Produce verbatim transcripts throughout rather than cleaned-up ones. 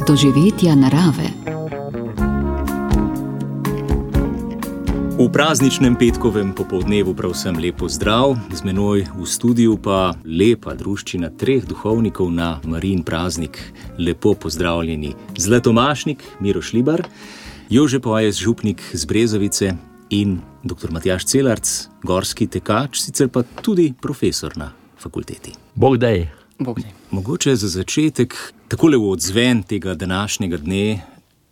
doživetja narave. V prazničnem petkovem popoldnevu prav vsem lepo zdrav, z menoj v studiu pa lepa druščina treh duhovnikov na Marijin praznik. Lepo pozdravljeni Zlatomašnik Miro Šlibar, Jože Pojes, župnik z Brezovice in doktor Matjaž Celarc, gorski tekač, sicer pa tudi profesor na fakulteti. Bog daj. Bog daj. Mogoče za začetek, takole v odzven tega današnjega dne,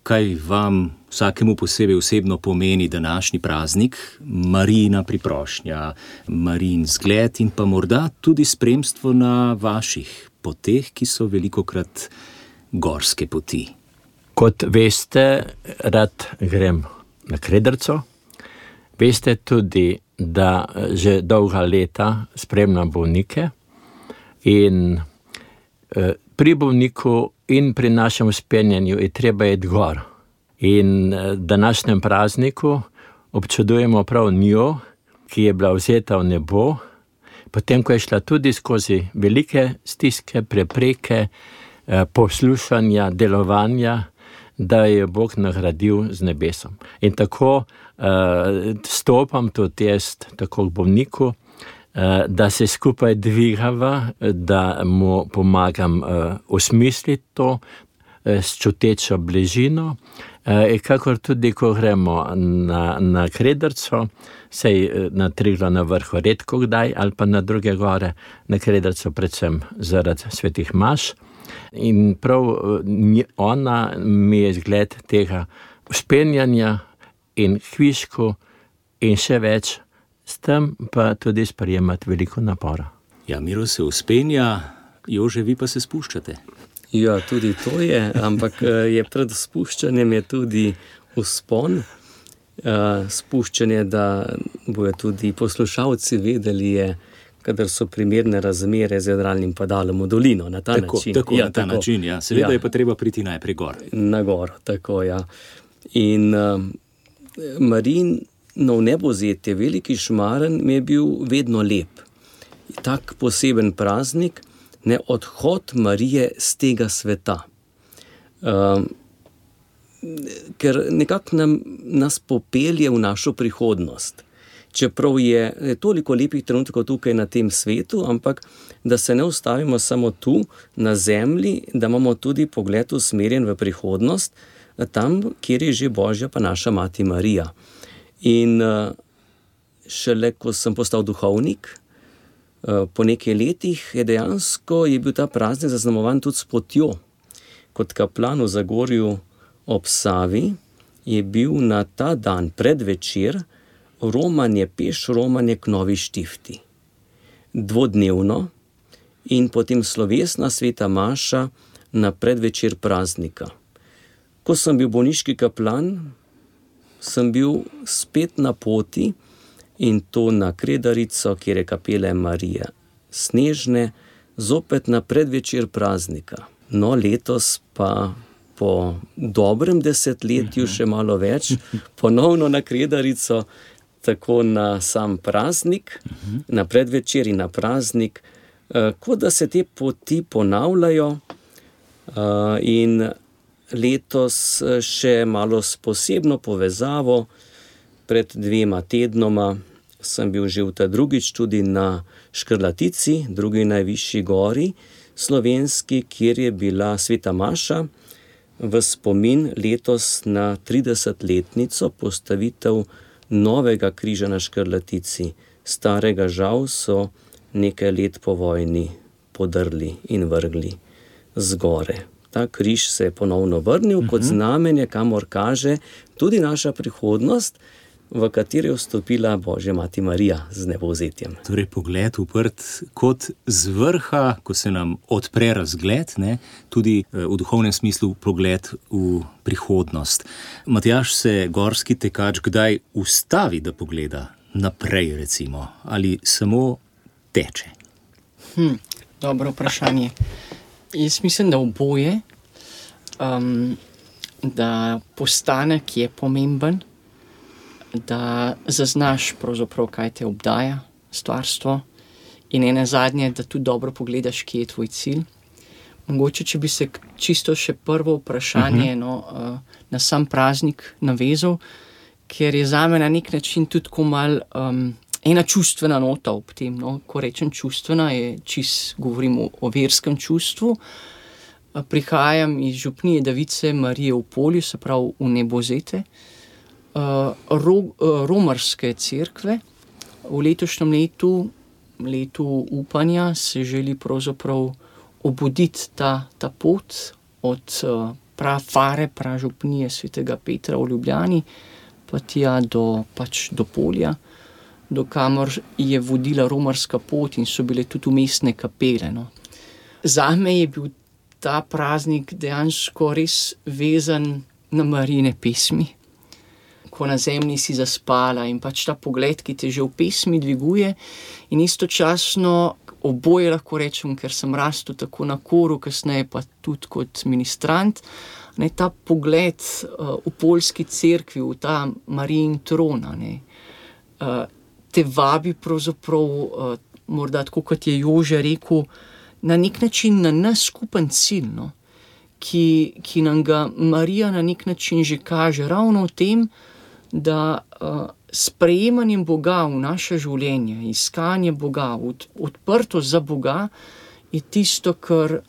kaj vam vsakemu posebej osebno pomeni današnji praznik, Marijina priprošnja, Marijin zgled in pa morda tudi spremstvo na vaših poteh, ki so velikokrat gorske poti. Kot veste, rad grem na Kredrco. Veste tudi, da že dolga leta spremljam bolnike in eh, pri bolniku in pri našem vzpenjanju je treba iti gor. In eh, današnjem prazniku občudujemo prav njo, ki je bila vzeta v nebo, potem ko je šla tudi skozi velike stiske, prepreke, eh, poslušanja, delovanja, da je Bog nagradil z nebesom. In tako uh, stopam tudi jaz tako k bolniku, uh, da se skupaj dvigava, da mu pomagam uh, osmisliti to uh, s čutečo bližino. Uh, kakor tudi, ko gremo na, na Kredrco, sej na Triglav na vrhu redko kdaj, ali pa na druge gore, na Kredrco predvsem zaradi svetih maš. In prav ona mi je zgled tega vzpenjanja in kvišku in še več, s tem pa tudi sprejemati veliko napora. Ja, Miro se vzpenja, Jože, vi pa se spuščate. Ja, tudi to je, ampak je pred spuščanjem je tudi vzpon. Spuščanje, da bojo tudi poslušalci vedeli, je kadar so primerne razmere z jadralnim padalom v dolino, na ta tako, način. Tako, ja, na ta tako. način, ja. Seveda ja. je pa treba priti najprej gor. Na gor, tako, ja. In uh, Marijino vnebovzetje, veliki šmaren, mi je bil vedno lep. Tak poseben praznik, ne, odhod Marije z tega sveta. Uh, ker nekako nam, nas popelje v našo prihodnost. Čeprav je toliko lepih trenutkov tukaj na tem svetu, ampak da se ne ustavimo samo tu, na zemlji, da imamo tudi pogled usmerjen v prihodnost, tam, kjer je že Božja pa naša mati Marija. In šele, ko sem postal duhovnik, po nekaj letih je dejansko je bil ta praznik zaznamovan tudi s potjo. Kot kaplan v Zagorju ob Savi je bil na ta dan predvečer romanje, peš romanje k Novi Štifti. Dvodnevno in potem slovesna sveta maša na predvečer praznika. Ko sem bil bolniški kaplan, sem bil spet na poti in to na Kredarico, kjer je kapela Marije Snežne, zopet na predvečer praznika. No, letos pa po dobrem desetletju, še malo več, ponovno na Kredarico, tako na sam praznik, uh-huh. na predvečer in na praznik, uh, kot da se te poti ponavljajo uh, in letos še malo s posebno povezavo. Pred dvema tednoma sem bil že v ta drugič tudi na Škrlatici, drugi najvišji gori slovenski, kjer je bila sveta maša v spomin letos na tridesetletnico postavitev novega križa na Škrlatici. Starega žal so nekaj let po vojni podrli in vrgli z gore. Ta križ se je ponovno vrnil uh-huh. kot znamenje, kamor kaže tudi naša prihodnost, v kateri je vstopila Božja mati Marija z nebovzetjem. Torej pogled uprt kot z vrha, ko se nam odpre razgled, ne, tudi v duhovnem smislu pogled v prihodnost. Matjaž, se gorski tekač kdaj ustavi, da pogleda naprej, recimo, ali samo teče? Hm, dobro vprašanje. Jaz mislim, da oboje, um, da postanek je pomemben, da zaznaš pravzaprav, kaj te obdaja, stvarstvo, in ene zadnje, da tudi dobro pogledaš, kje je tvoj cilj. Mogoče, če bi se čisto še prvo vprašanje uh-huh. no, na sam praznik navezal, ker je zame na nek način tudi tako mal um, ena čustvena nota ob tem. No. Ko rečem čustvena, je čist govorim o, o verskem čustvu. Prihajam iz župnije Device Marije v Polju, se pravi v Nebozete, uh, ro, uh, romarske cerkve. V letošnjem letu, letu upanja, se želi pravzaprav obuditi ta, ta pot od uh, prafare, pražupnije svetega Petra v Ljubljani, pa tja do, pač do Polja, do kamor je vodila romarska pot in so bile tudi umestne kapele. No. Zame je bil ta praznik dejansko res vezan na Marijine pesmi, ko na zemlji si zaspala in pač ta pogled, ki te že v pesmi dviguje in istočasno oboje lahko rečem, ker sem rastel tako na koru, kasneje pa tudi kot ministrant, ne, ta pogled uh, v poljski cerkvi, v ta Marijin tron, ne, uh, te vabi pravzaprav, uh, morda tako kot je Jože rekel, na nek način na nas skupen cilj, no, ki, ki nam ga Marija na nek način že kaže, ravno v tem, da uh, sprejemanjem Boga v naše življenje, iskanje Boga, od, odprtost za Boga, je tisto, kar,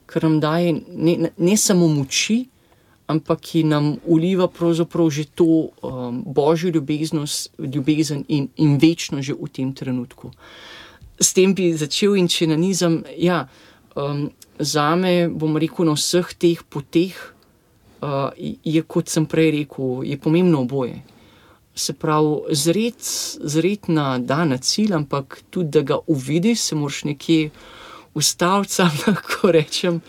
kar nam daje ne, ne samo moči, ampak ki nam uliva pravzaprav že to um, božjo ljubeznost, ljubezen in, in večno že v tem trenutku. S tem bi začel in če nanizam, ja, um, zame, bom rekel, na vseh teh poteh uh, je, kot sem prej rekel, je pomembno oboje. Se pravi, zret, zret na dan, na cilj, ampak tudi, da ga uvidiš, se moraš nekje ustaviti, sam lahko rečem,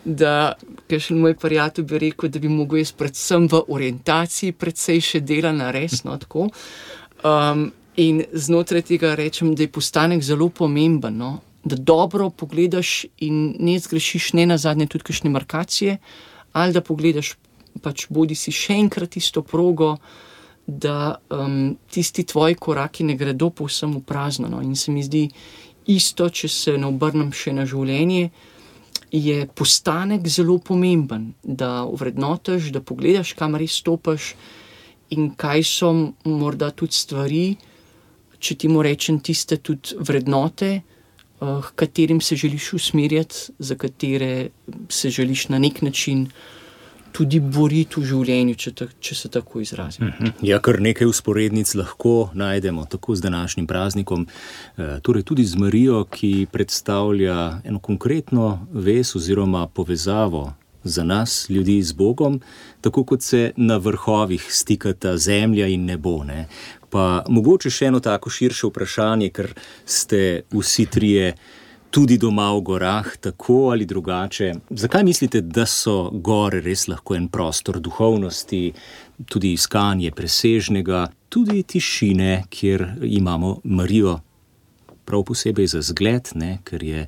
da, ker še moj prijatelj bi rekel, da bi mogel jaz predvsem v orientaciji predvsej še dela narediti, no, tako. Um, in znotraj tega rečem, da je postanek zelo pomemben, no, da dobro pogledaš in ne zgrešiš ne nazadnje tudi kakšne markacije, ali da pogledaš pač bodi si še enkrat isto progo, da um, tisti tvoji koraki ne gredo povsem v prazno. No. In se mi zdi isto, če se ne obrnem še na življenje, je postanek zelo pomemben, da ovrednotiš, da pogledaš, kam res stopaš in kaj so morda tudi stvari, če ti mu rečem tiste tudi vrednote, uh, katerim se želiš usmerjati, za katere se želiš na nek način tudi boriti v življenju, če, ta, če se tako izrazim. Ja, kar nekaj usporednic lahko najdemo, tako z današnjim praznikom, torej tudi z Marijo, ki predstavlja eno konkretno vez oziroma povezavo za nas, ljudi z Bogom, tako kot se na vrhovih stikata zemlja in nebo. Ne? Pa mogoče še eno tako širše vprašanje, ker ste vsi trije tudi doma v gorah, tako ali drugače. Zakaj mislite, da so gore res lahko en prostor duhovnosti, tudi iskanje presežnega, tudi tišine, kjer imamo Marijo prav posebej za zgled, ne, ker je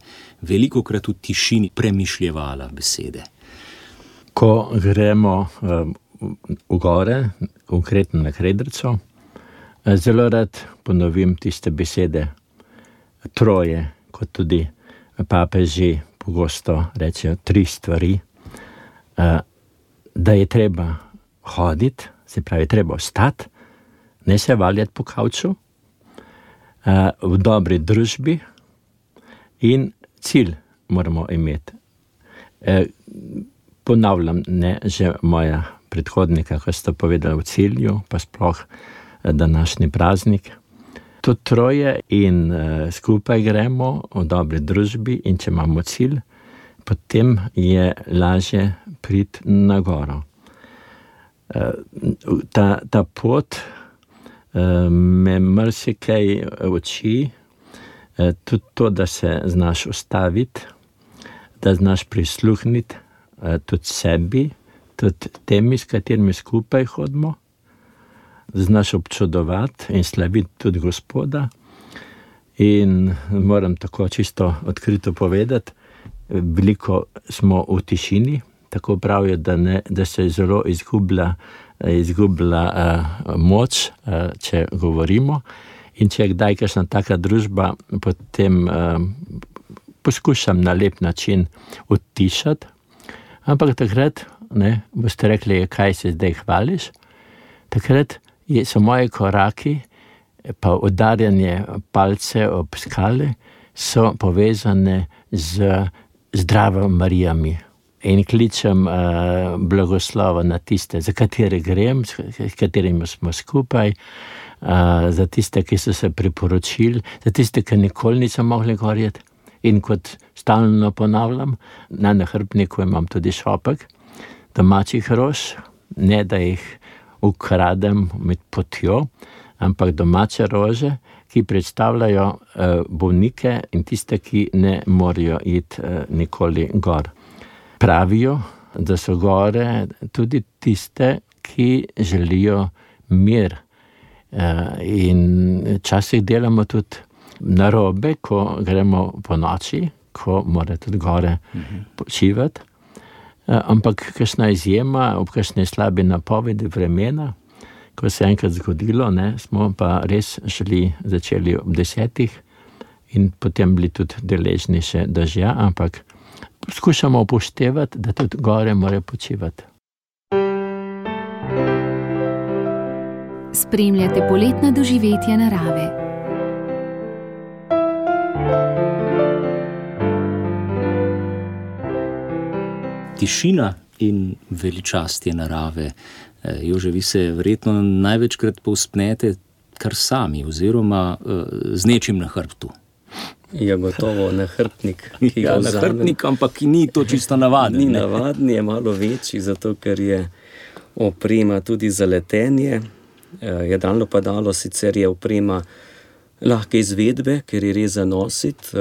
velikokrat v tišini premišljevala besede? Ko gremo um, v gore, konkretno na Kredrico, zelo rad ponovim tiste besede troje, kot tudi papeži pogosto rečejo tri stvari, da je treba hoditi, se pravi, treba ostati, ne se valjati po kavču, v dobri družbi in cilj moramo imeti. Ponavljam, ne, že moja predhodnika, ko sta povedala v cilju, pa sploh današnji praznik. To troje in uh, skupaj gremo v dobri družbi in če imamo cilj, potem je lažje priti na goro. Uh, ta, ta pot uh, me marsikaj uči, uh, tudi to, da se znaš ustaviti, da znaš prisluhniti uh, tudi sebi, tudi temi, s katerimi skupaj hodimo, znaš občudovati in slaviti tudi Gospoda. In moram tako čisto odkrito povedati, veliko smo v tišini, tako pravijo, da, ne, da se zelo izgublja, izgublja uh, moč, uh, če govorimo. In če je kdaj kakšna taka družba, potem uh, poskušam na lep način utišati, ampak takrat, ne, boste rekli, kaj se zdaj hvališ, takrat je, so moji koraki, pa udarjanje palce ob skale, so povezane z zdravo Marijami. In kličem uh, blagoslova na tiste, za katere grem, s katerimi smo skupaj, uh, za tiste, ki so se priporočili, za tiste, ki nikoli niso mogli gorjeti. In kot stalno ponavljam, na nahrbtniku imam tudi šopek domačih rož, ne da jih ukradem med potjo, ampak domače rože, ki predstavljajo uh, bolnike in tiste, ki ne morajo iti uh, nikoli gor. Pravijo, da so gore tudi tiste, ki želijo mir. In včasih delamo tudi narobe, ko gremo po noči, ko mora tudi gore počivati. Ampak kakšna izjema, ob kakšne slabi napovedi vremena, ko se je enkrat zgodilo, ne, smo pa res šli, začeli ob desetih in potem bili tudi deležni še dežja, ampak skušamo upoštevati, da tudi gore mora počivati. Spremljate poletna doživetja narave. Tišina in veličastje narave. Jože, vi se verjetno največkrat povzpnete kar sami oziroma z nečim na hrbtu. Je gotovo nahrbtnik, ki ga ja, vzamem. Nahrbtnik, ampak ni to čisto navaden. Ni navaden, je malo večji, zato ker je oprema tudi za letenje. Jadralno padalo sicer je oprema lahke izvedbe, ker je res za nositi,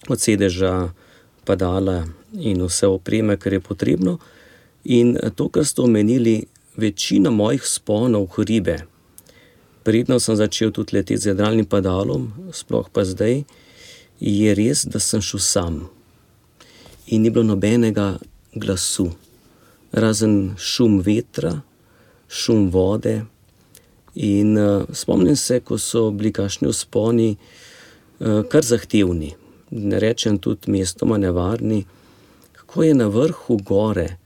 od sedeža padala in vse opreme, kar je potrebno. In to, kar ste omenili, večina mojih sponov hribe, predno sem začel tudi leteti z jadralnim padalom, sploh pa zdaj, je res, da sem šel sam. In ni bilo nobenega glasu, razen šum vetra, šum vode. In uh, spomnim se, ko so bili kakšni vzponi uh, kar zahtevni, ne rečem tudi mestoma nevarni, kako je na vrhu gore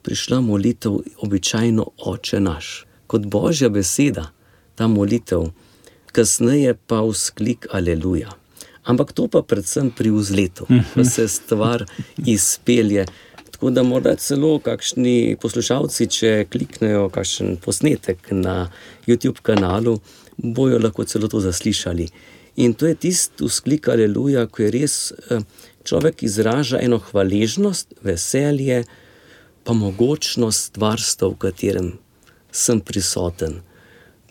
prišla molitev običajno Oče naš, kot Božja beseda, ta molitev, kasneje pa vzklik Aleluja. Ampak to pa predvsem pri vzletu, ko se stvar izpelje. Tako da morda celo kakšni poslušalci, če kliknejo kakšen posnetek na YouTube kanalu, bojo lahko celo to zaslišali. In to je tisti vzklik Aleluja, ko je res človek izraža eno hvaležnost, veselje, pa mogočnost stvarstva, v katerem sem prisoten.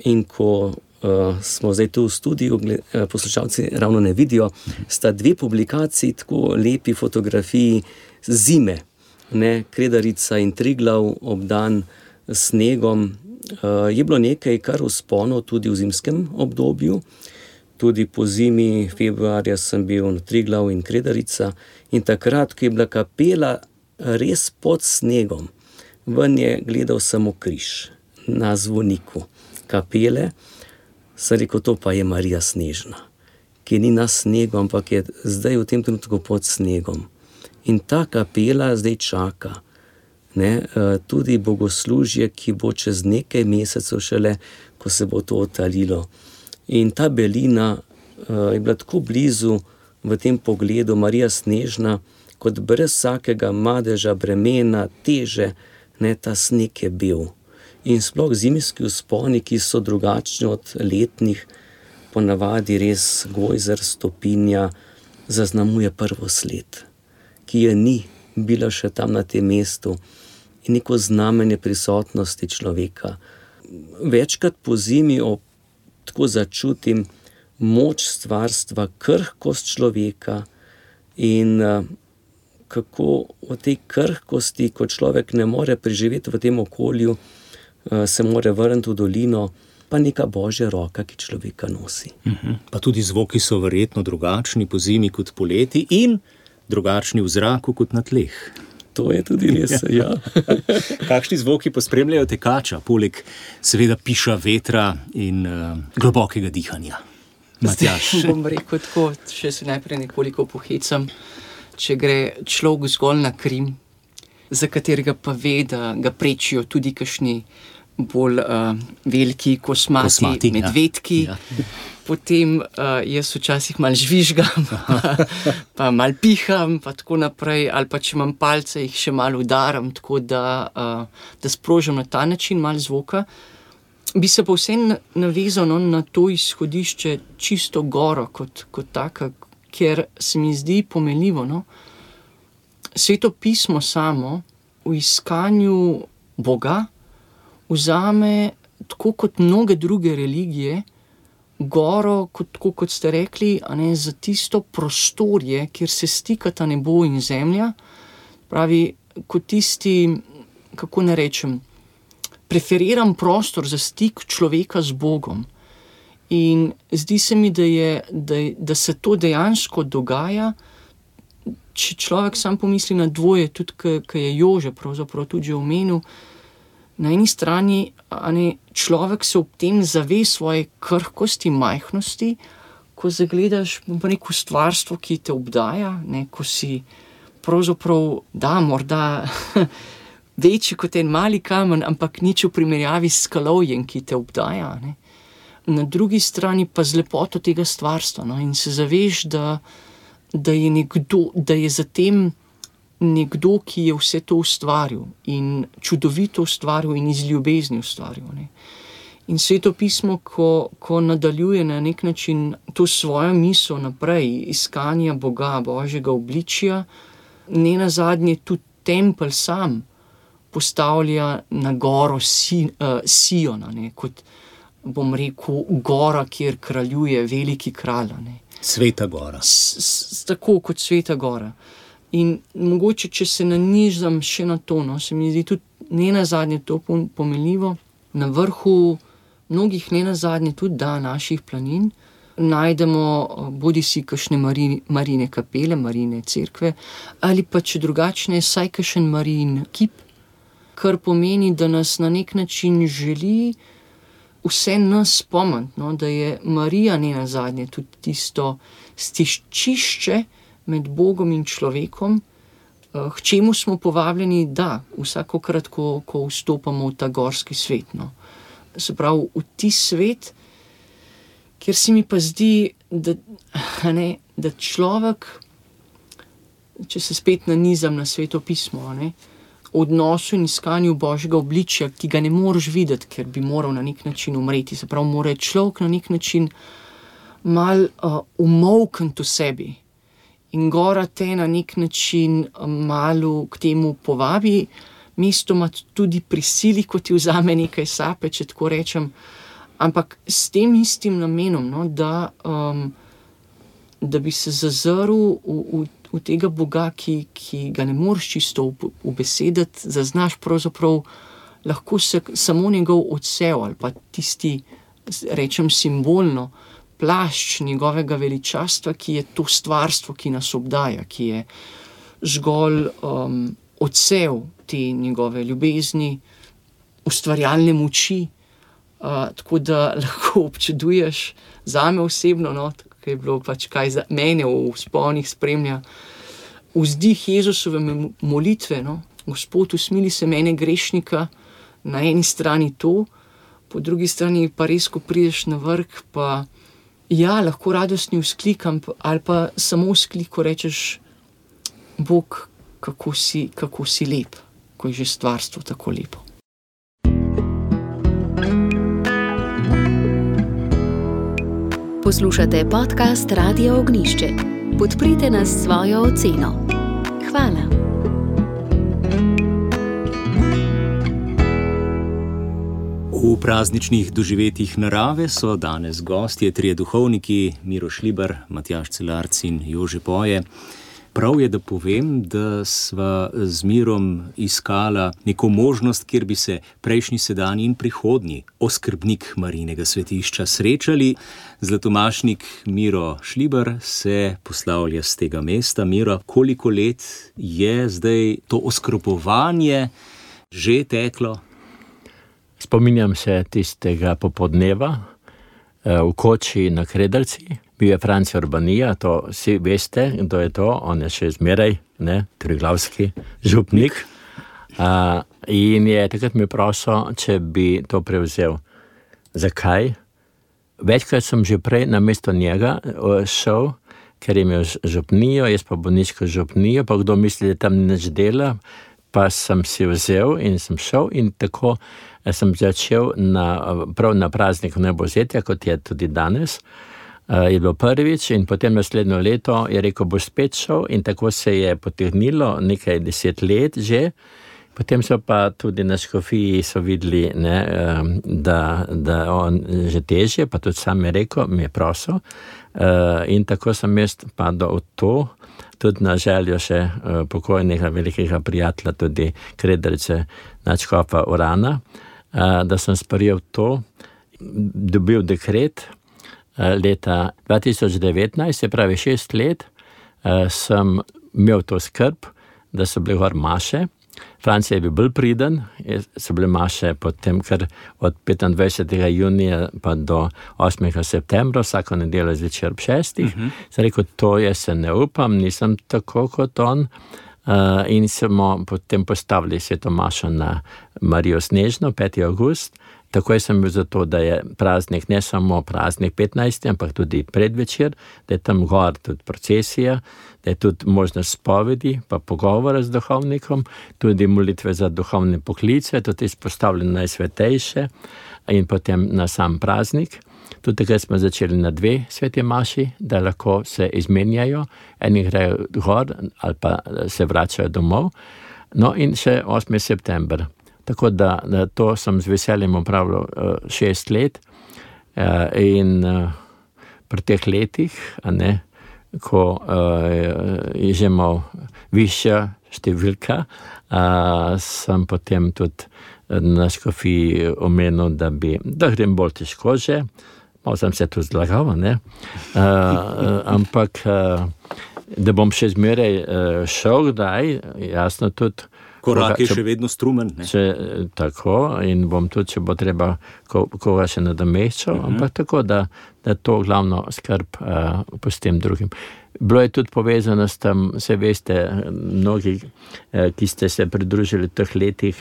In ko uh, smo zdaj tu v studiu, uh, poslušalci ravno ne vidijo, sta dve publikaciji, tako lepi fotografiji zime, ne, Kredarica in Triglav obdan s snegom. Uh, je bilo nekaj kar vzponov tudi v zimskem obdobju, tudi po zimi februarja sem bil na Triglav in Kredarica in takrat, ko je bila kapela res pod snegom, ven je gledal samo križ na zvoniku kapele, sem rekel, to pa je Marija Snežna, ki ni na snegu, ampak je zdaj v tem trenutku pod snegom. In ta kapela zdaj čaka, ne, tudi bogoslužje, ki bo čez nekaj mesecev šele, ko se bo to odtalilo. In ta belina uh, je bila tako blizu v tem pogledu, Marija Snežna, kot brez vsakega madeža, bremena, teže, ne, ta sneg je bil. In sploh zimski vzponi, ki so drugačni od letnih, ponavadi res gojzer, stopinja, zaznamuje prvo sled, ki je ni bila še tam na tem mestu in neko znamenje prisotnosti človeka. Večkrat po zimi ob, tako začutim moč stvarstva, krhkost človeka in uh, kako v tej krhkosti, ko človek ne more preživeti v tem okolju, se more vrniti v dolino, pa neka Božja roka, ki človeka nosi. Uh-huh. Pa tudi zvoki so verjetno drugačni po zimi kot poleti in drugačni v zraku kot na tleh. To je tudi res, ja. Kakšni zvoki pospremljajo tekača, poleg seveda piša vetra in uh, globokega dihanja? Matjaž. Bom rekel tako, še se najprej nekoliko pohecam. Če gre človek zgolj na Krim, za katerega pa ve, da ga prečijo tudi kakšni bolj uh, veliki kosmati, kosmati medvedki, ja. Ja. Potem uh, jaz včasih malo žvižgam, pa, pa malo piham, pa tako naprej, ali pa če imam palce, jih še malo udaram, tako da, uh, da sprožam na ta način malo zvoka. Bi se pa vsem navezal no, na to izhodišče čisto goro kot, kot taka, ker se mi zdi pomenljivo. No? Sveto pismo samo v iskanju Boga vzame, tako kot mnoge druge religije, goro, kot, tako kot ste rekli, a ne, za tisto prostorje, kjer se stikata nebo in zemlja, pravi, kot tisti, kako ne rečem, preferiram prostor za stik človeka z Bogom. In zdi se mi, da, je, da, da se to dejansko dogaja, če človek sam pomisli na dvoje, tudi ko je Jože pravzaprav tudi že omenil, na eni strani a ne, človek se ob tem zave svoje krhkosti, majhnosti, ko zagledaš neko stvarstvo, ki te obdaja, ne, ko si pravzaprav, da, morda večji kot en mali kamen, ampak nič v primerjavi s skalovjem, ki te obdaja. Ne. Na drugi strani pa z lepoto tega stvarstva, no, in se zaveš, da, da je nekdo, da je za tem nekdo, ki je vse to ustvaril in čudovito ustvaril in iz ljubezni ustvaril. Ne. In Sveto pismo, ko, ko nadaljuje na nek način to svojo misel naprej, iskanja Boga, Božjega obličja, ne nazadnje tudi tempelj sam postavlja na goro si, uh, Siona, ne, kot bom rekel, gora, kjer kraljuje veliki kralj. Ne. Sveta gora. S, s, tako kot Sveta gora. In mogoče, če se nanižam še na to, no, se mi zdi tudi ne nazadnje to pomenljivo, na vrhu mnogih ne nazadnje tudi da naših planin najdemo bodi si kakšne marine, marine kapele, marine cerkve, ali pa če drugačne, saj kakšen marin kip, kar pomeni, da nas na nek način želi vse nas spomniti, no, da je Marija ne nazadnje tudi tisto stiščišče med Bogom in človekom, k čemu smo povabljeni, da, vsakokrat, ko, ko vstopamo v ta gorski svet. No. Se pravi, v ti svet, kjer se mi pa zdi, da, ne, da človek, če se spet nanizam na Sveto pismo, ne, v odnosu in iskanju Božjega obličja, ki ga ne moreš videti, ker bi moral na nek način umreti. Se pravi, mora človek na nek način mal uh, umolkniti v sebi. In gora te na nek način malo k temu povabi, mestoma tudi prisili, ko ti vzame nekaj sape, če tako rečem, ampak s tem istim namenom, no, da, um, da bi se zazrl v, v, v tega Boga, ki, ki ga ne moreš čisto ubesediti, zaznaš pravzaprav lahko se samo njegov odsev ali pa tisti, rečem simbolno, plašč njegovega veličastva, ki je to stvarstvo, ki nas obdaja, ki je zgolj um, odsev te njegove ljubezni, ustvarjalne moči, uh, tako da lahko občuduješ zame osebno, no, tako je bilo pač kaj za mene v vzponih spremlja, vzdih Jezusove molitve, no, Gospod, usmili se mene grešnika, na eni strani to, po drugi strani pa res, ko prideš na vrh, pa ja, lahko radostni vzklik, ali pa samo vzklik, ko rečeš, Bog, kako si, kako si lep, ko je že stvarstvo tako lepo. Poslušate podcast Radia Ognišče. Podprite nas s svojo oceno. Hvala. V prazničnih doživetjih narave so danes gostje trije duhovniki, Miro Šlibar, Matjaž Celarc in Jože Poje. Prav je, da povem, da sva z Mirom iskala neko možnost, kjer bi se prejšnji, sedanji in prihodnji oskrbnik Marijinega svetišča srečali. Zlatomašnik Miro Šlibar se poslavlja z tega mesta. Miro, koliko let je zdaj to oskrbovanje že teklo? Spominjam se tistega popodneva, v koči na Krederci. Bil je Franci Urbanija, to vsi veste, kdo je to, on je še zmeraj, ne, triglavski župnik. Uh, in je takrat mi prosil, če bi to prevzel. Zakaj? Večkrat sem že prej na mesto njega šel, ker je imel župnijo, jaz pa bolniško župnijo, pa kdo misli, da tam nič dela, pa sem si vzel in sem šel in tako sem začel na, prav na prazniku Nebozetja, kot je tudi danes. Uh, je bilo prvič in potem naslednjo leto je rekel, boš spet šel in tako se je potegnilo nekaj deset let že. Potem so pa tudi na škofiji so videli, ne, da, da on že težje, pa tudi sam je rekel, mi je prosil. Uh, in tako sem jaz padel v to, tudi na željo še uh, pokojnega velikega prijatelja, tudi Krederce nadškofa Urana, uh, da sem sprejel to, dobil dekret uh, leta dva tisoč devetnajst, se pravi šest let, uh, sem imel to skrb, da so bile gor maše. Francija je bil bolj priden, so bile maše potem, ker od petindvajsetega junija pa do osmega septembra, vsako nedeljo zvečer ob šestih. Uh-huh. Sem rekel, to jaz se ne upam, nisem tako kot on. Uh, in smo potem postavili sveto mašo na Marijo Snežno, peti avgust. Takoj sem bil za to, da je praznik, ne samo praznik petnajsti, ampak tudi predvečer, da je tam gor tudi procesija, da je tudi možnost spovedi, pa pogovora z duhovnikom, tudi molitve za duhovne poklice, tudi izpostavljene najsvetejše in potem na sam praznik. Tudi takrat smo začeli na dve sveti maši, da lahko se izmenjajo, eni grejo gor ali pa se vračajo domov. No in še osmi september. Tako da, da to sem z veseljem opravljal uh, šest let uh, in uh, pri teh letih, a ne, ko uh, je že mal višja številka, uh, sem potem tudi na škofiji omenil, da bi, da grem bolj težko že, malo sem se tu zlagal, ne, uh, uh, ampak uh, da bom še zmeraj uh, šel, daj, jasno tudi, korak je še vedno strumen. Ne? Če, tako, in bom tudi, če bo treba ko, koga še nadomeščal, uh-huh. ampak tako, da, da to glavno skrb uh, pustim drugim. Bilo je tudi povezano s tem, se veste, mnogi, uh, ki ste se pridružili v teh letih,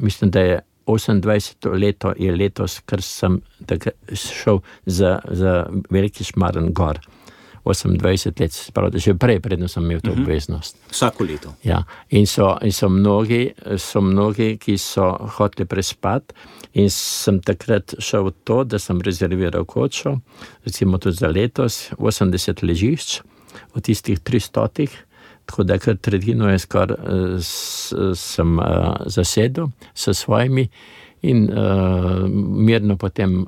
mislim, da je osemindvajseto leto je letos, ker sem tak, šel za, za Veliki Šmarn gor. osemindvajset let, spravi, že prej, predno sem imel to uh-huh. obveznost. Vsako leto. Ja, in so, in so mnogi, so mnogi, ki so hoteli prespati in sem takrat šel v to, da sem rezerviral kočo, recimo tudi za letos, osemdeset ležišč, od tistih tristotih, tako da kar tretjino je skor s, sem uh, zasedel s svojimi in uh, mirno potem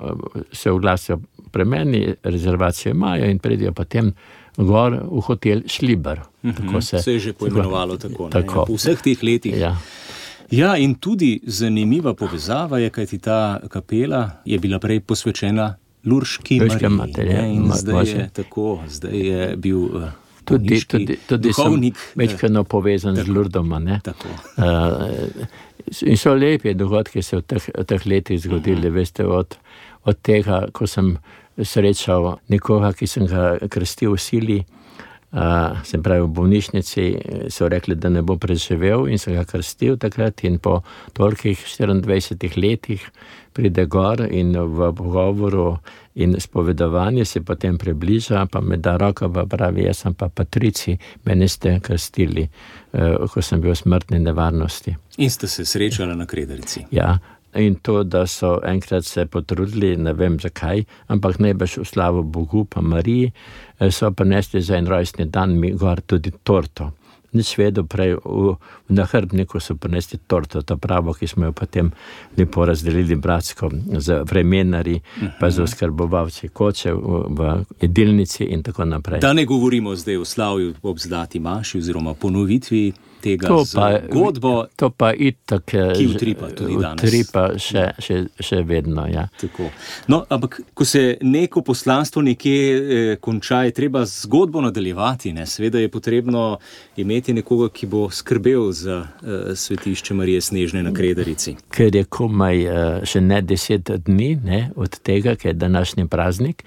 se oglasijo pri meni, rezervacijo imajo in predijo potem gor v hotel Šliber. Mm-hmm. Tako se, se je že poimenovalo tako. tako. Ja, po vseh teh letih. Ja. Ja, in tudi zanimiva povezava je, kajti ta kapela je bila prej posvečena Lurški Mariji. In ma, zdaj je tako, zdaj je bil uh, tudi, tudi, tudi duhovnik. Večkrat povezan tako, z Lurdoma. Ne? Tako. Uh, in so lepi dogodki se v teh, v teh letih zgodili, uh-huh. veste, od, od tega, ko sem srečal nekoga, ki sem ga krstil v sili, uh, sem pravi v bolnišnici, so rekli, da ne bo preživel in sem ga krstil takrat in po tolikih štiriindvajsetih letih pride gor in v pogovoru in spovedovanje se potem približa, pa me da roko, pa pravi, jaz sem pa Patrici, mene ste krstili, uh, ko sem bil v smrtni nevarnosti. In ste se srečali na Krederici. Ja. In to, da so enkrat se potrudili, ne vem zakaj, ampak najbrž v slavo Bogu pa Mariji, so prinesli za en rojstni dan mi gor tudi torto. Nič vedo prej, v, v nahrbniku so prinesli torto, to pravo, ki smo jo potem lepo razdelili bratsko z vremenari, uh-huh. pa z oskrbovalci koče v, v jedilnici in tako naprej. Da ne govorimo zdaj o slavju ob zlati maši oziroma ponovitvi tega To pa, zgodbo, to pa itak, ki utripa tudi danes. Utripa še, še, še vedno, ja. Tako. No, ampak ko se neko poslanstvo nekje eh, konča, je treba zgodbo nadaljevati, ne? Seveda je potrebno imeti nekoga, ki bo skrbel za eh, svetišče Marije Snežne na Kredarici. Ker je komaj eh, še ne deset dni, ne, od tega, ker je današnji praznik,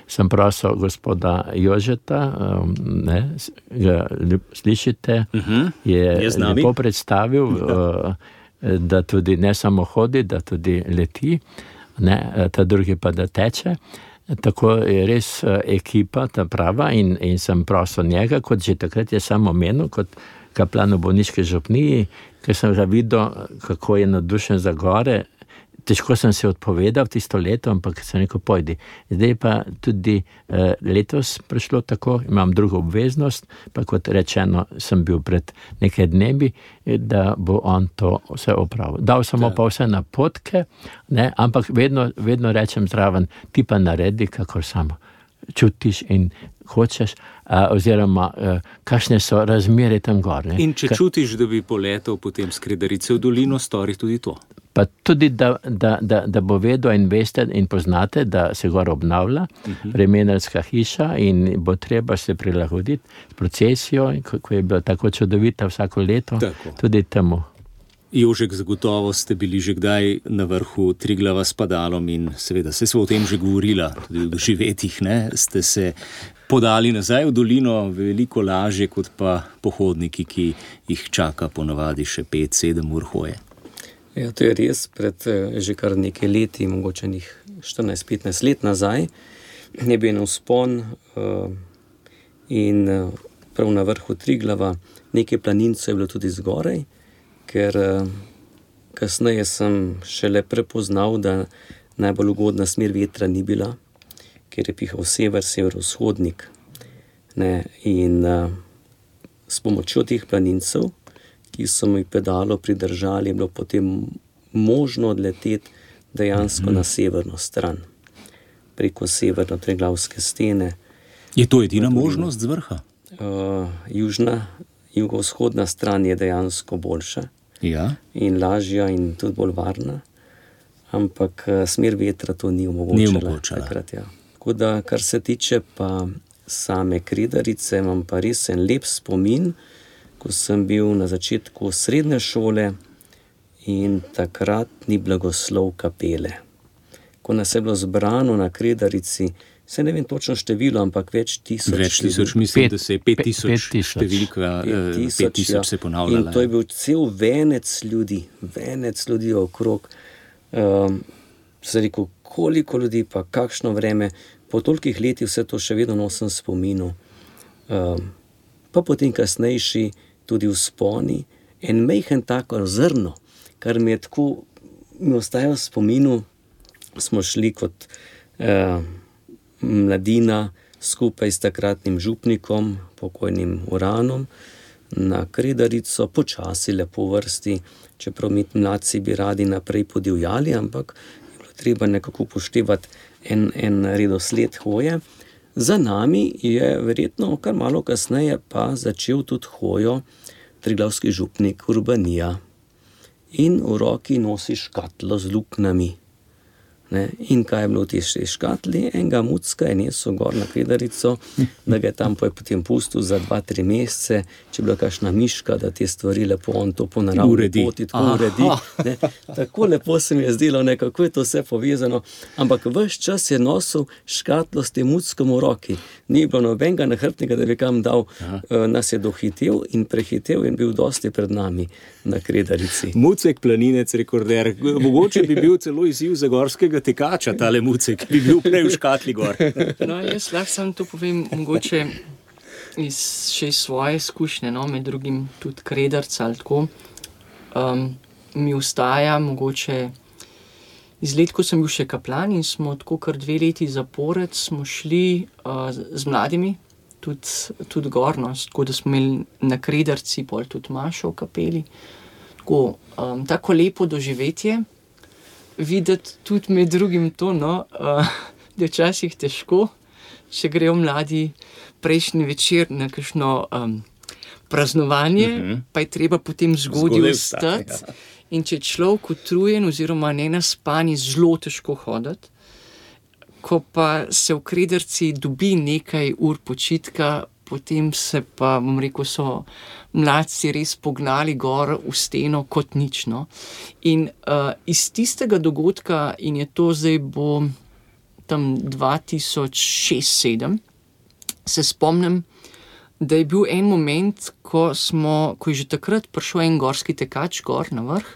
sem prosil gospoda Jožeta, um, ne, ga slišite, uh-huh. je, je lepo predstavil, uh, da tudi ne samo hodi, da tudi leti, ne, ta drugi pa da teče. Tako je res ekipa, ta prava, in, in sem prosil njega, kot že takrat je samo omenil, kot kaplan v bolniški župniji, ker sem ga videl, kako je navdušen za gore. Težko sem se odpovedal tisto leto, ampak sem rekel, pojdi. Zdaj pa tudi eh, letos prišlo tako, imam drugo obveznost, pa kot rečeno, sem bil pred nekaj dnevi, da bo on to vse opravil. Dal sem pa vse napotke, ne, ampak vedno, vedno rečem zraven, ti pa naredi, kakor samo čutiš in hočeš, a, oziroma a, kakšne so razmere tam gor. Ne. In če Ka... čutiš, da bi poletel potem s Kredarice v dolino, stori tudi to. Pa tudi, da, da, da, da bo vedel in veste in poznate, da se gor obnavlja uh-huh. vremenarska hiša in bo treba se prilagoditi s procesijo, kako je bila tako čudovita vsako leto, tako. Tudi temu. Jožek, zagotovo ste bili že kdaj na vrhu Triglava s padalom in seveda se smo o tem že govorila, tudi v doživetjih, ne, ste se podali nazaj v dolino veliko lažje kot pa pohodniki, ki jih čaka ponavadi še pet sedem ur hoje. Ja, to je res, pred že kar nekaj leti, mogoče njih štirinajst petnajst let nazaj, je bil en vzpon uh, in uh, prav na vrhu Triglava nekaj planincev je bilo tudi zgoraj, ker uh, kasneje sem šele prepoznal, da najbolj ugodna smer vetra ni bila, ker je pihal sever, severovzhodnik. Ne, in uh, s pomočjo teh planincev, ki so mi pedalo pridržali, je bilo potem možno odleteti dejansko mm-hmm. na severno stran, preko severno-triglavske stene. Je to edina možnost z vrha? Uh, južna, jugovzhodna stran je dejansko boljša ja. in lažja in tudi bolj varna, ampak uh, smer vetra to ni omogočala. Ni omogočala. Takrat, ja. Tako da, kar se tiče pa same Kredarice, imam pa res en lep spomin, ko sem bil na začetku srednje šole in takrat ni blagoslov kapele. Ko nas je bilo zbrano na Kredarici, se ne vem točno število, ampak več tisoč. Več tisoč, mislim, da se je pet tisoč številka, pet tisoč se ponavljala. In to je bil cel venec ljudi, venec ljudi okrog. Um, se rekel, koliko ljudi, pa kakšno vreme, po tolikih letih vse to še vedno nosim spominu. Um, pa potem kasnejši tudi vzponi, en mejhen tako zrno, kar mi je tako, mi ostaja v spominu, smo šli kot eh, mladina skupaj s takratnim župnikom, pokojnim Uranom, na Kredarico, počasi lepo vrsti, čeprav mi mladci bi radi naprej podivjali, ampak je bilo treba nekako upoštevati en, en redosled hoje. Za nami je verjetno kar malo kasneje pa začel tudi hojo triglavski župnik Urbanija in v roki nosi škatlo z luknami. Ne? In kaj je bilo v tej škatli? Enega mucka je nesel gor na Kredarico, da ga je tam potem pustil za dva, tri mesece, če je bila kakšna miška, da te stvari lepo on to po naravni poti tako uredi. Ne? Tako lepo se mi je zdelo, ne, kako je to vse povezano, ampak ves čas je nosil škatlo s tem muckom v roki. Ni bilo nobenega nahrbtnika, da bi kam dal, uh, nas je dohitel in prehitel in bil dosti pred nami na Kredarici. Mucek, planinec, rekorder, mogoče bi bil celo izziv za gorskega tekača, tale Mucek, bi bil prej v škatli gor. No, jaz lahko sam to povem, mogoče iz, še iz svoje izkušnje, no, med drugim tudi Kredarca ali tako, um, mi ustaja mogoče iz let, ko sem bil še kaplan in smo tako kar dve leti zapored, smo šli uh, z mladimi, tudi, tudi gor, no, tako da smo imeli na Kredarci pol tudi mašo v kapeli, tako, um, tako lepo doživetje, videti tudi med drugim to, no, uh, da je včasih težko, če grejo mladi prejšnji večer na kakšno um, praznovanje, uh -huh. pa je treba potem zgodaj vstati. Ja. In če je človek utrujen oziroma nenaspan, je zelo težko hoditi. Ko pa se v Krederici dobi nekaj ur počitka, potem se pa, bom rekel, so mladci res pognali gor v steno kot nič. No. In uh, iz tistega dogodka, in je to zdaj bo tam dva tisoč šest sedem, se spomnim, da je bil en moment, ko, smo, ko je že takrat prišel en gorski tekač gor na vrh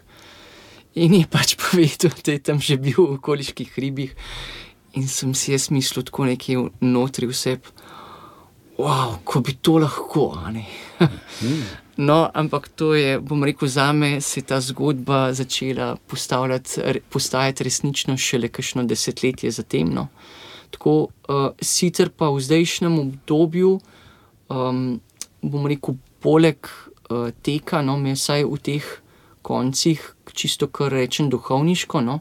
in je pač povedal, da je tam že bil v okoliških hribih. In sem si jaz mislil tako nekje notri vse, wow, ko bi to lahko, a ne. No, ampak to je, bom rekel, zame se ta zgodba začela postajati resnično šele kakšno desetletje zatem, no. Tako, uh, sicer pa v zdajšnjem obdobju, um, bom rekel, poleg uh, teka, no, me vsaj v teh koncih, čisto kar rečem duhovniško, no,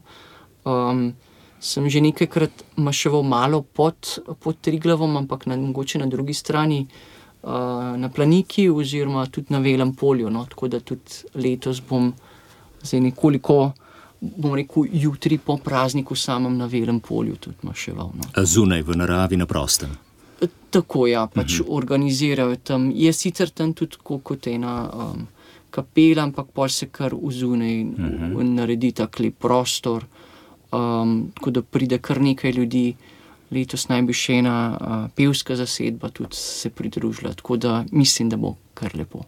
um, sem že nekajkrat maševal malo pod, pod Triglavom, ampak na, mogoče na drugi strani uh, na Planiki oziroma tudi na Velem polju, no, tako da tudi letos bom zdaj nekoliko, bom rekel, jutri po prazniku samem na Velem polju tudi maševal. No. A zunaj v naravi na prostem? Tako, ja, pač uh-huh. organizirajo tam. Je sicer tam tudi kot ena um, kapela, ampak pol se kar vzunaj uh-huh. naredi tak lep prostor. Um, tako da pride kar nekaj ljudi, letos naj bi še ena uh, pevska zasedba tudi se pridružila, tako da mislim, da bo kar lepo.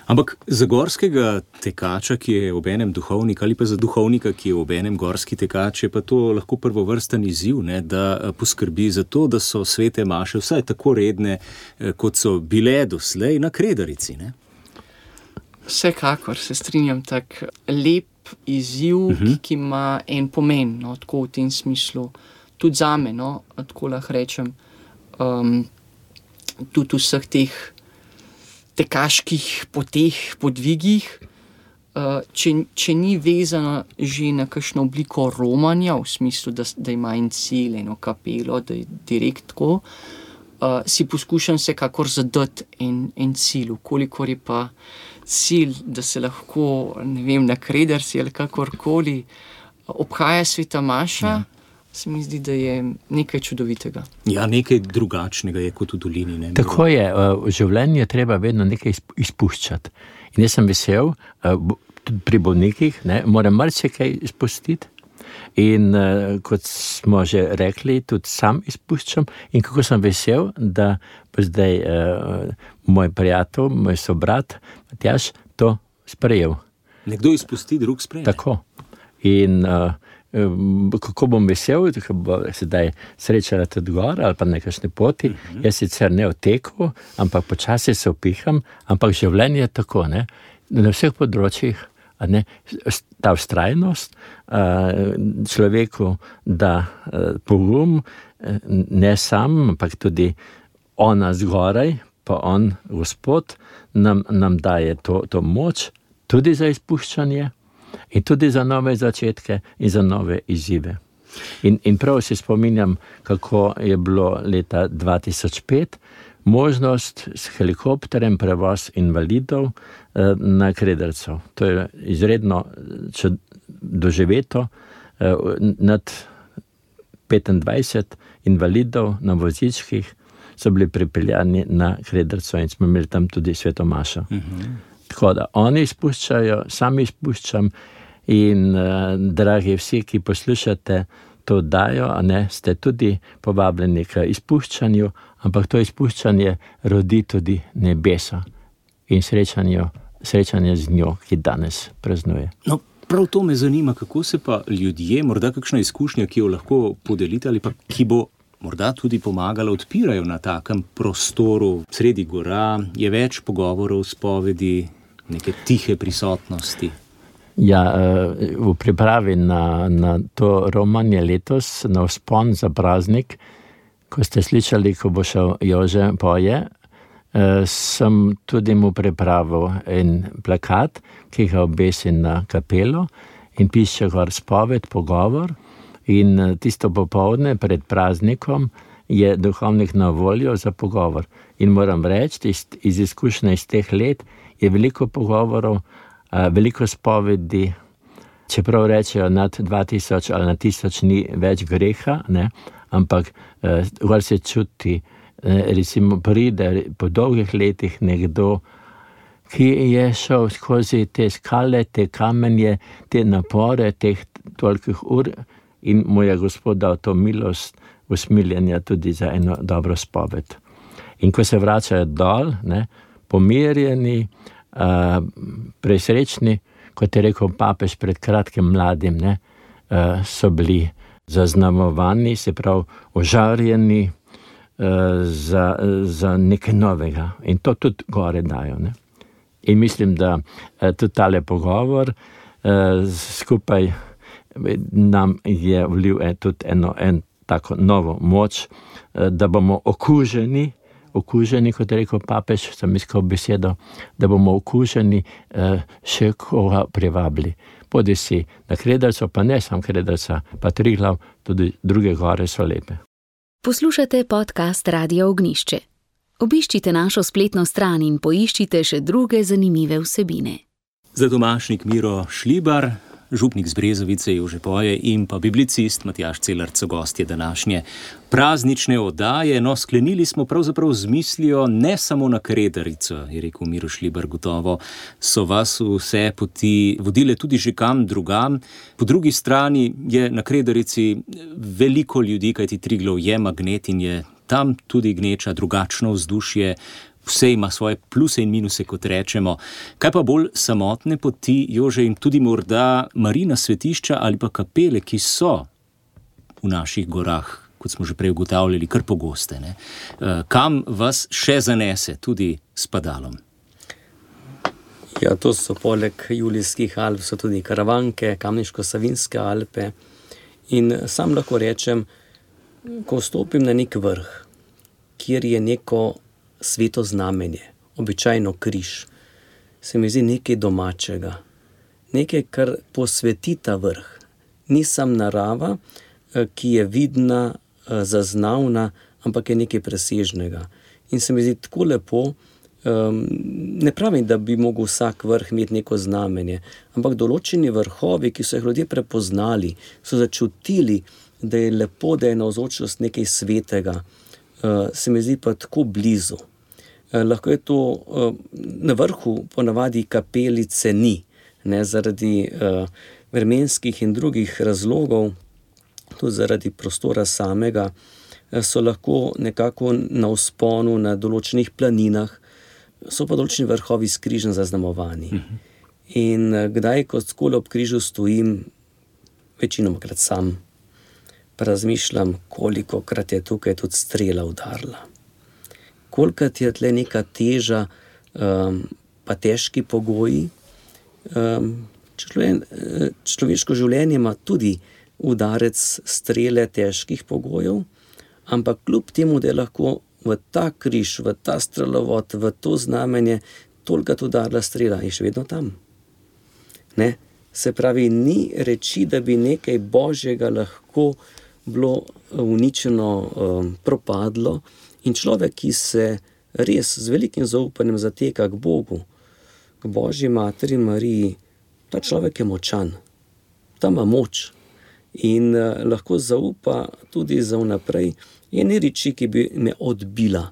Ampak za gorskega tekača, ki je obenem duhovnik, ali pa za duhovnika, ki je obenem gorski tekač, je pa to lahko prvovrsten izziv, ne, da poskrbi za to, da so svete maše vsaj tako redne, kot so bile doslej na Krederici, ne? Vsekakor se strinjam, tak lep izziv, uh-huh. ki ima en pomen, no, tako v tem smislu, tudi zame, no, tako lahko rečem, um, tudi vseh teh tekaških poteh, podvigih, uh, če, če ni vezana že na kakšno obliko romanja, v smislu, da, da ima en cilj, eno kapelo, da je direkt tako, uh, si poskušam vsekakor zadati en, en cilj, kolikor je pa cilj, da se lahko, ne vem, na Krederici ali kakorkoli obhaja sveta maša, ja. Se mi zdi, da je nekaj čudovitega. Ja, nekaj drugačnega je kot v dolini. Ne? Tako je, v življenju je treba vedno nekaj izpuščati. In jaz sem vesel, tudi pri bolnikih, ne, moram marsikaj izpustiti. In kot smo že rekli, tudi sam izpuščam. In kako sem vesel, da pa zdaj moj prijatelj, moj sobrat, Matjaž, to sprejel. Nekdo izpusti, drug sprejme. Tako. In kako bom vesel, ko bo sedaj srečala tudi gor ali pa na kakšni poti, uh-huh. jaz sicer ne v teku, ampak počasi se upiham, ampak življenje je tako, ne, na vseh področjih, a ne, ta vztrajnost človeku da pogum, ne sam, ampak tudi ona zgoraj, pa on, Gospod, nam, nam daje to, to moč, tudi za izpuščanje, in tudi za nove začetke in za nove izzive. In, in prav se spominjam, kako je bilo leta dva tisoč pet možnost s helikopterjem prevoz invalidov eh, na Krederico. To je izredno čud, doživeto. Eh, nad petindvajset invalidov na vozičkih so bili pripeljani na Krederico in smo imeli tam tudi sveto mašo. Uh-huh. Tako da oni izpuščajo, sami izpuščam in uh, dragi vsi, ki poslušate to dajo, a ne, ste tudi povabljeni k izpuščanju, ampak to izpuščanje rodi tudi nebesa in srečanje, srečanje z njo, ki danes praznuje. No, prav to me zanima, kako se pa ljudje, morda kakšna izkušnja, ki jo lahko podelite ali pa ki bo morda tudi pomagala, odpirajo na takem prostoru sredi gora, je več pogovorov, spovedi, neke tihe prisotnosti. Ja, v pripravi na, na to romanje letos, na vzpon za praznik, ko ste slišali, ko bo šel Jože poje, sem tudi mu pripravil en plakat, ki ga obesi na kapelo in piše gor spoved, pogovor. In tisto popoldne pred praznikom je duhovnik na voljo za pogovor. In moram reči, iz, iz izkušnje iz teh let je veliko pogovorov, veliko spovedi, čeprav rečejo nad dva tisoč ali na tisoč ni več greha, ne? Ampak uh, se čuti, recimo pride po dolgih letih nekdo, ki je šel skozi te skale, te kamenje, te napore, teh tolikih ur in mu je Gospod dal to milost usmiljenja tudi za eno dobro spoved. In ko se vračajo dol, ne, pomirjeni, uh, presrečni, kot je rekel papež pred kratkim mladim, ne, uh, so bili zaznamovani, se pravi ožarjeni uh, za, za nekaj novega. In to tudi gore dajo. Ne. In mislim, da uh, tudi tale pogovor uh, skupaj nam je vlil tudi eno en tako novo moč, uh, da bomo okuženi, okuženi, kot je rekel papež, sem iskal besedo, da bomo okuženi uh, še koga privabili. Podi si na Krederco, pa ne sam Krederca, pa Triglav, tudi druge gore so lepe. Poslušate podcast Radia Ognjišče. Obiščite našo spletno stran in poiščite še druge zanimive vsebine. Za domašnik Miro Šlibar, župnik z Brezovice Jože Poje in pa biblicist Matjaž Celarc so gostje današnje praznične oddaje. No, sklenili smo pravzaprav z mislijo ne samo na Kredarico, je rekel Miro Šlibar, gotovo so vas vse poti vodile tudi že kam drugam. Po drugi strani je na Kredarici veliko ljudi, kajti Triglav je magnet in je tam tudi gneča drugačno vzdušje. Vse ima svoje pluse in minuse, kot rečemo. Kaj pa bolj samotne poti, Jože, in tudi morda Marijina svetišča ali pa kapele, ki so v naših gorah, kot smo že prej ugotavljali, kar pogoste, ne? Kam vas še zanese, tudi s padalom? Ja, to so poleg Julijskih Alp, so tudi Karavanke, Kamniško-Savinske Alpe. In sam lahko rečem, ko stopim na nek vrh, kjer je neko sveto znamenje, običajno križ, se mi zdi nekaj domačega, nekaj, kar posveti ta vrh. Ni sam narava, ki je vidna, zaznavna, ampak je nekaj presežnega. In se mi zdi tako lepo, ne pravim, da bi mogel vsak vrh imeti neko znamenje, ampak določeni vrhovi, ki so jih ljudje prepoznali, so začutili, da je lepo, da je navzočnost nekaj svetega, se mi zdi pa tako blizu. Lahko je to, na vrhu ponavadi kapelice ni, ne, zaradi uh, vremenskih in drugih razlogov, tudi zaradi prostora samega, so lahko nekako na vzponu na določenih planinah, so pa določeni vrhovi skrižno zaznamovani. Mhm. In kdaj, ko skole ob križu stojim, večinomkrat sam, pa razmišljam, kolikokrat je tukaj tudi strela udarila. Kolikrat je tle neka teža, um, pa težki pogoji. Um, človen, človeško življenje ima tudi udarec strele težkih pogojev, ampak kljub temu, da je lahko v ta križ, v ta strelovod, v to znamenje tolikrat udarila strela, je še vedno tam. Ne? Se pravi, ni reči, da bi nekaj božjega lahko bilo uničeno, um, propadlo. In človek, ki se res z velikim zaupanjem zateka k Bogu, k Božji materi Mariji, ta človek je močan, ta ima moč in uh, lahko zaupa tudi za vnaprej. Je ni reči, ki bi me odbila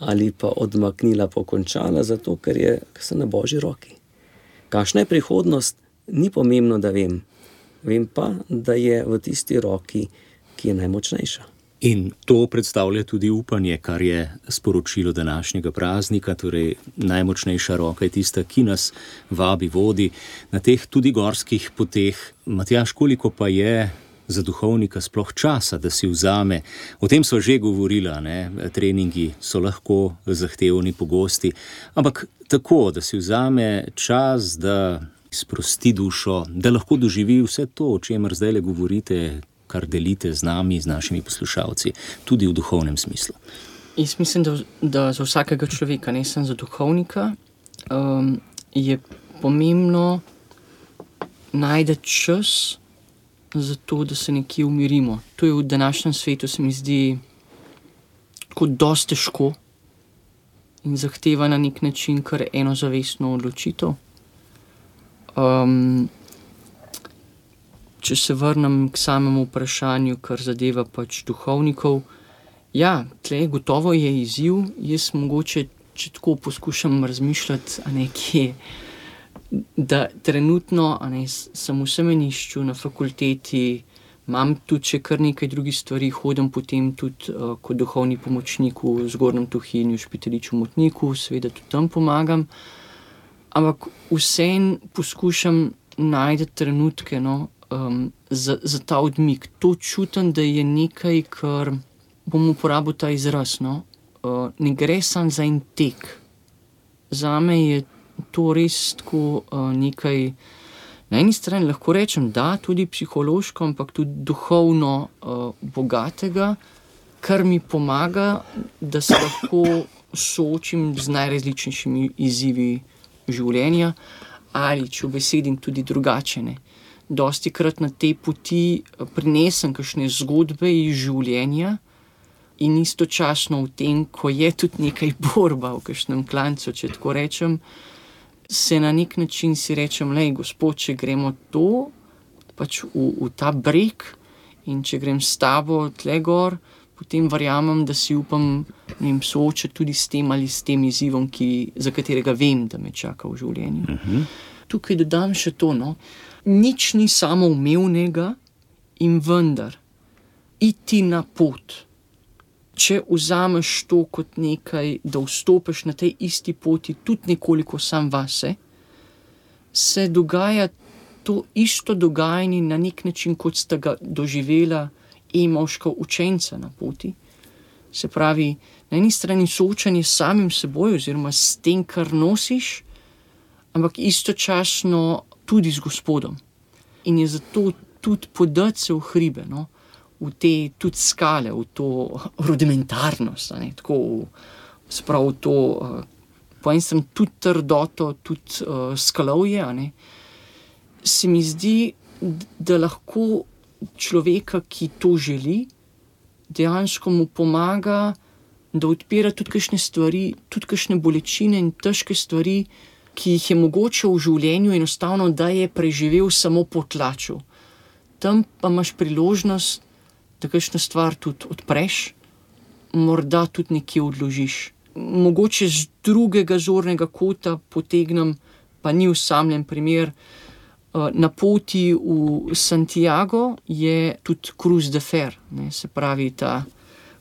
ali pa odmaknila, pokončala, zato ker je ker sem na Božji roki. Kakšna je prihodnost, ni pomembno, da vem. Vem pa, da je v tisti roki, ki je najmočnejša. In to predstavlja tudi upanje, kar je sporočilo današnjega praznika, torej najmočnejša roka je tista, ki nas vabi, vodi na teh tudi gorskih poteh. Matjaž, koliko pa je za duhovnika sploh časa, da si vzame? O tem sva že govorila, ne? Treningi so lahko zahtevni, pogosti, ampak tako, da si vzame čas, da sprosti dušo, da lahko doživi vse to, o čemer zdaj le govorite, kar delite z nami, z našimi poslušalci, tudi v duhovnem smislu. Jaz mislim, da, da za vsakega človeka, ne samo za duhovnika, um, je pomembno najti čas za to, da se nekje umirimo. To je v današnjem svetu, se mi zdi, tako dosti težko in zahteva na nek način kar eno zavestno odločitev. Um, če se vrnem k samemu vprašanju, kar zadeva pač duhovnikov, ja, tle gotovo je izziv. Jaz mogoče, če tako poskušam razmišljati, a ne kje, da trenutno a ne, sem v semenišču na fakulteti, imam tudi še kar nekaj drugih stvari, hodim potem tudi uh, kot duhovni pomočnik v Zgornjem Tuhinju, Špitaliču Motniku, seveda tudi tam pomagam. Ampak vseeno poskušam najti trenutke, no, um, za, za ta odmik. To čutim, da je nekaj, kar bom uporabil ta izraz. No. Uh, ne gre samo za en tek. Zame je to res tako uh, nekaj, na eni strani lahko rečem, da tudi psihološko, ampak tudi duhovno uh, bogatega, kar mi pomaga, da se lahko soočim z najrazličnejšimi izzivi življenja, ali če besedim tudi drugačene. Dostikrat na tej poti prinesem kakšne zgodbe iz življenja in istočasno v tem, ko je tudi nekaj borba v kakšnem klancu, če tako rečem, se na nek način si rečem, lej, gospod, če gremo to, pač v, v ta breg in če grem s tabo tle gor, potem verjamem, da si upam ne vem, soočati tudi s tem ali s tem izzivom, ki, za katerega vem, da me čaka v življenju. Uh-huh. Tukaj dodam še to, no. Nič ni samoumevnega in vendar iti na pot. Če vzameš to kot nekaj, da vstopiš na tej isti poti tudi nekoliko sam vase, se dogaja to isto dogajanje na nek način, kot sta ga doživela Emovška učenca na poti. Se pravi, na eni strani soočanje s samim seboj oziroma s tem, kar nosiš, ampak istočasno tudi z Gospodom. In je zato tudi podati se v hribe, no? V te tudi skale, v to rudimentarnost, ne? Tako, sprav v to, uh, po enem strani tudi trdoto, tudi uh, skalovje, ne? Se mi zdi, da lahko človeka, ki to želi, dejansko mu pomaga, da odpira tudi kakšne stvari, tudi kakšne bolečine in težke stvari, ki jih je mogoče v življenju enostavno, da je preživel samo po tlaču. Tam pa imaš priložnost, da kakšno stvar tudi odpreš, morda tudi nekje odložiš. Mogoče z drugega zornega kota potegnem, pa ni osamljen primer, na poti v Santiago je tudi Cruz de Fer, ne, se pravi ta,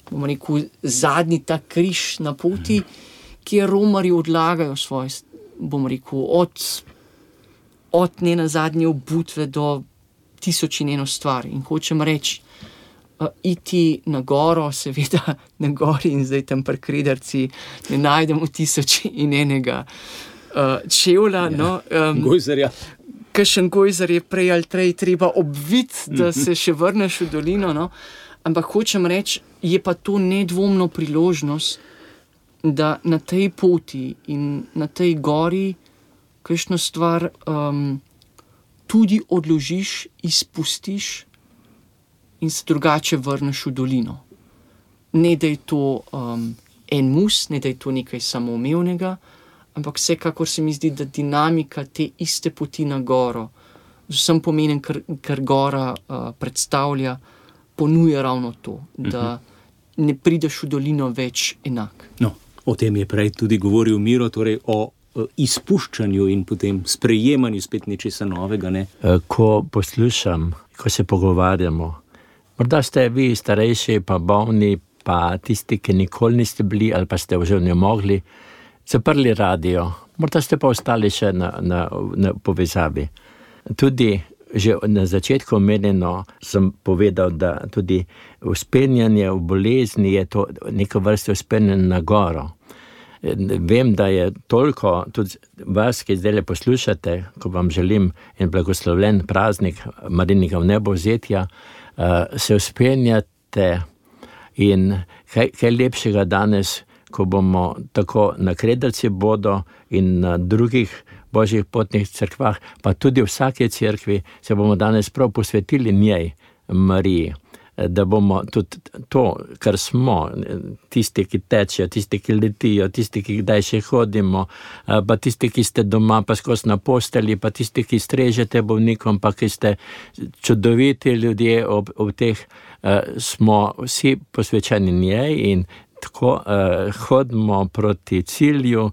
bomo rekel, zadnji ta križ na poti, kjer romarji odlagajo svoje, bomo rekel, od, od ne na zadnje obutve do tisoč in eno stvar. In hočem reči, uh, iti na goro, seveda na gori in zdaj tam pri Krederci ne najdemo tisoč in enega uh, čevlja. Ja, no, um, gojzarja. Kakšen gojzar je prej ali trej treba obviti, da se še vrneš v dolino, no? Ampak hočem reči, je pa to nedvomno priložnost, da na tej poti in na tej gori kakšno stvar um, tudi odložiš, izpustiš in se drugače vrneš v dolino. Ne, da je to um, en mus, ne, da je to nekaj samoumevnega, ampak vsekakor se mi zdi, da dinamika te iste poti na goro, z vsem pomenem, kar, kar gora uh, predstavlja, ponuja ravno to, da uh-huh. ne prideš v dolino več enak. No, o tem je prej tudi govoril Miro, torej o izpuščanju in potem sprejemanju spet nečesa novega. Ne? Ko poslušam, ko se pogovarjamo, morda ste vi starejši, pa bolni, pa tisti, ki nikoli niste bili ali pa ste že ne mogli, zaprli radio, morda ste pa ostali še na, na, na povezavi. Tudi že na začetku omenjeno sem povedal, da tudi vzpenjanje v bolezni je to neka vrsta vzpenjanja na goro. Vem, da je toliko tudi vas, ki zdaj poslušate, ko vam želim en blagoslovljen praznik Marinega vnebovzetja, se vzpenjate in kaj, kaj lepšega danes, ko bomo tako na Krederci bodo in na drugih božjih potnih cerkvah, pa tudi v vsake cerkvi se bomo danes prav posvetili njej, Mariji. da bomo tudi to, kar smo, tisti, ki tečejo, tisti, ki letijo, tisti, ki kdaj še hodimo, pa tisti, ki ste doma, pa skozi na postelji, pa tisti, ki strežete bolnikom, pa ki ste čudoviti ljudje ob, ob teh, smo vsi posvečeni njej in tako hodimo proti cilju,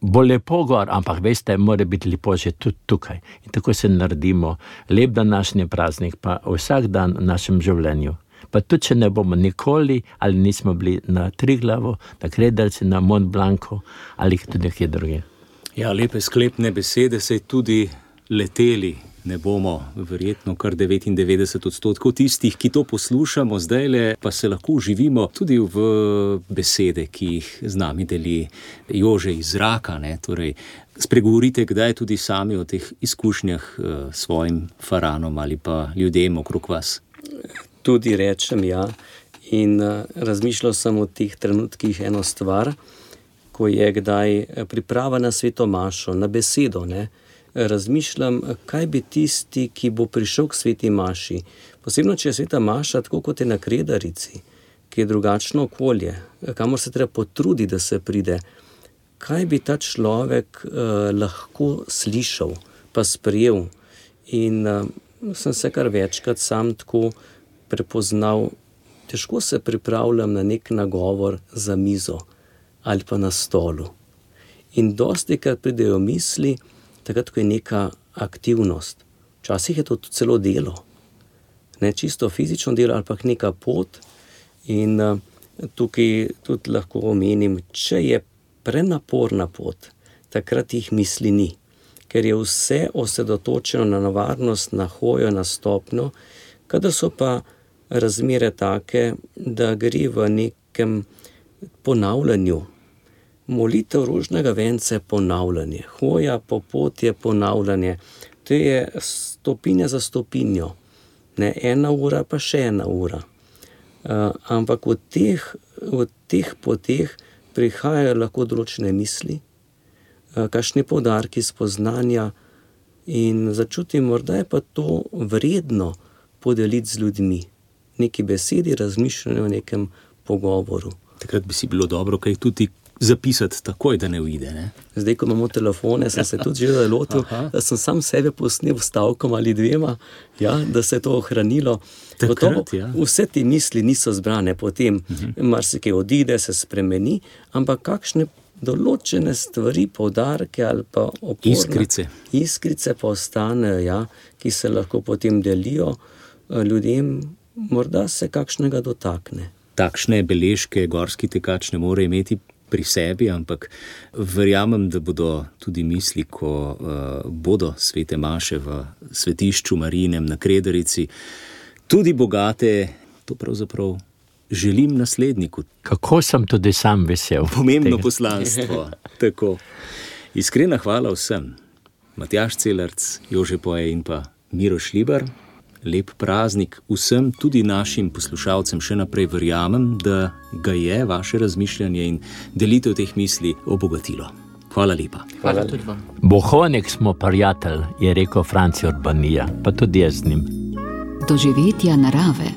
bo lepo gor, ampak veste, mora biti lepo že tudi tukaj. In tako se naredimo lep današnji praznik, pa vsak dan v našem življenju. Pa tudi, če ne bomo nikoli, ali nismo bili na Triglavu, na Krederci, na Mont Blancu, ali tudi nekje druge. Ja, lepe sklepne besede, saj tudi leteli ne bomo, verjetno kar devetindevetdeset odstotkov tistih, ki to poslušamo zdajle, pa se lahko uživimo tudi v besede, ki jih z nami deli Jože iz zraka, ne, torej spregovorite kdaj tudi sami o teh izkušnjah s svojim faranom ali pa ljudem okrog vas. Tudi rečem, ja, in razmišljal sem o teh trenutkih eno stvar, ko je kdaj priprava na sveto mašo, na besedo, ne, razmišljam, kaj bi tisti, ki bo prišel k sveti maši, posebno, če je sveta maša tako kot je na Kredarici, ki je drugačno okolje, kamor se treba potrudi, da se pride, kaj bi ta človek eh, lahko slišal, pa sprejel. In eh, sem se kar večkrat sam tako prepoznal, težko se pripravljam na nek nagovor za mizo ali pa na stolu. In dostikrat pridejo misli, takrat, ko je neka aktivnost. Včasih je to celo delo. Ne čisto fizično delo, ali pa neka pot. In uh, tukaj tudi lahko omenim, če je prenaporna pot, takrat jih misli ni. Ker je vse osredotočeno na nevarnost, na hojo, na stopnjo, kadar so pa razmere take, da gre v nekem ponavljanju. Molitev rožnega venca je ponavljanje, hoja po poti je ponavljanje, to je stopinja za stopinjo, ne ena ura pa še ena ura. Uh, ampak v teh, v teh poteh prihajajo lahko določene misli, uh, kakšni poudarki spoznanja in začutim, morda je pa to vredno podeliti z ljudmi, neki besedi, razmišljanju o nekem pogovoru. Takrat bi si bilo dobro, kaj tudi zapisati takoj, da ne uide, ne? Zdaj, ko imamo telefone, sem se tudi že zalotil, da sem sam sebe posnel stavkom ali dvema, ja, da se je to ohranilo. Takrat, Gotovo, ja. Vse te misli niso zbrane potem, uh-huh. marsikaj odide, se spremeni, ampak kakšne določene stvari, poudarke ali pa oporne iskrice, iskrice pa ostanejo, ja, ki se lahko potem delijo ljudem, morda se kakšnega dotakne. Takšne beležke gorski tekač ne more imeti pri sebi, ampak verjamem, da bodo tudi misli, ko uh, bodo svete maše v svetišču Marijinem na Kredarici, tudi bogate, to pravzaprav želim nasledniku. Kako sem tudi sam vesel. Pomembno tega poslanstvo. Tako. Iskrena hvala vsem. Matjaž Celarc, Jože Poje in pa Miro Šlibar. Lep praznik vsem, tudi našim poslušalcem še naprej verjamem, da ga je vaše razmišljanje in delitev teh misli obogatilo. Hvala lepa. Hvala tudi vam. Bohonek smo prijatelj, je rekel Franci Urbanija, pa tudi jaz z njim. Doživetja narave.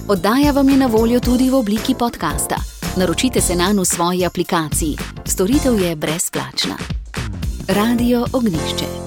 Oddaja vam je na voljo tudi v obliki podcasta. Naročite se nanj v svoji aplikaciji. Storitev je brezplačna. Radio Ognjišče.